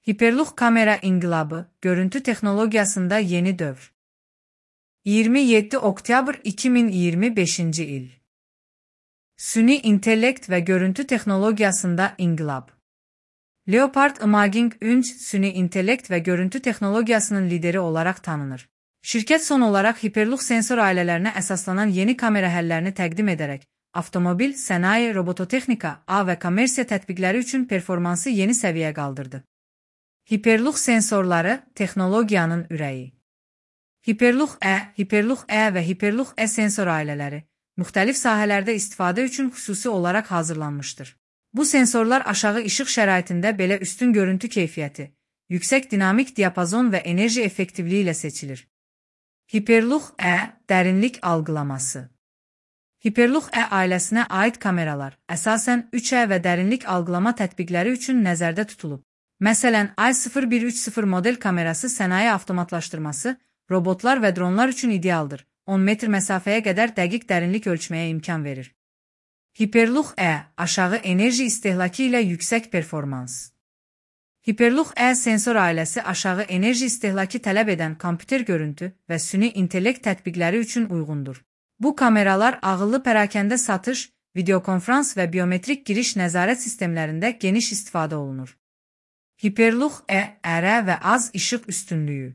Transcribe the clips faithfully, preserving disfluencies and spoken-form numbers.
Hiperluq kamera inqilabı, görüntü texnologiyasında yeni dövr. iyirmi yeddi oktyabr iki min iyirmi beşinci il. Süni intellekt ve görüntü texnologiyasında inqilab. Leopard Imaging Inc. süni intellekt ve görüntü texnologiyasının lideri olarak tanınır. Şirket son olarak hiperluq sensor ailelerine əsaslanan yeni kamera həllərini təqdim edərək, avtomobil, sənaye, robototexnika, ağ və kommersiya tətbiqləri üçün performansı yeni səviyyə qaldırdı. Hiperluq sensorları, texnologiyanın ürəyi. Hiperluq E, Hiperluq E və Hiperluq E sensor ailələri, müxtəlif sahələrdə istifadə üçün xüsusi olaraq hazırlanmışdır. Bu sensorlar aşağı işıq şəraitində belə üstün görüntü keyfiyyəti, yüksək dinamik diapazon və enerji effektivliyi ilə seçilir. Hiperluq E, dərinlik algılaması. Hiperluq E ailəsinə aid kameralar əsasən üç E və dərinlik algılama tətbiqləri üçün nəzərdə tutulub. Məsələn, I sıfır bir üç sıfır model kamerası sənaye avtomatlaşdırması, robotlar və dronlar üçün idealdır. on metr məsafəyə qədər dəqiq dərinlik ölçməyə imkan verir. Hiperluq E, aşağı enerji istehlakı ilə yüksək performans. Hiperluq E sensor ailəsi aşağı enerji istehlakı tələb edən kompüter görüntü və süni intellekt tətbiqləri üçün uyğundur. Bu kameralar ağıllı pərakəndə satış, videokonferans və biometrik giriş nəzarət sistemlərində geniş istifadə olunur. Hiperluq E, ərə və az işıq üstünlüyü.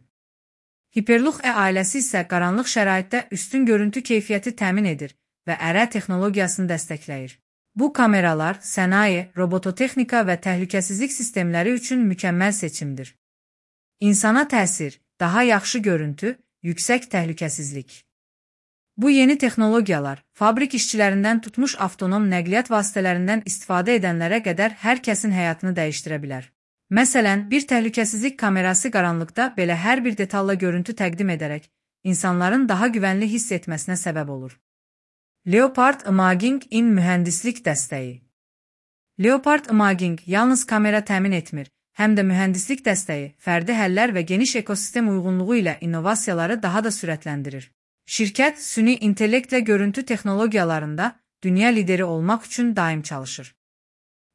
Hiperluq E ailəsi isə qaranlıq şəraitdə üstün görüntü keyfiyyəti təmin edir və ərə texnologiyasını dəstəkləyir. Bu kameralar sənaye, robototexnika və təhlükəsizlik sistemləri üçün mükəmməl seçimdir. İnsana təsir, daha yaxşı görüntü, yüksək təhlükəsizlik. Bu yeni texnologiyalar, fabrik işçilərindən tutmuş avtonom nəqliyyat vasitələrindən istifadə edənlərə qədər hər kəsin həyatını dəyişdirə bilər. Məsələn, bir təhlükəsizlik kamerası qaranlıqda belə hər bir detalla görüntü təqdim edərək, insanların daha güvənli hiss etməsinə səbəb olur. Leopard Imaging in mühəndislik dəstəyi. Leopard Imaging yalnız kamera təmin etmir, həm də mühəndislik dəstəyi, fərdi həllər və geniş ekosistem uyğunluğu ilə innovasiyaları daha da sürətləndirir. Şirkət, süni intellektlə görüntü texnologiyalarında dünya lideri olmaq üçün daim çalışır.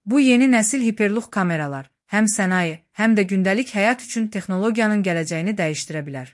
Bu yeni nəsil hiperluq kameralar, həm sənaye, həm də gündəlik həyat üçün texnologiyanın gələcəyini dəyişdirə bilər.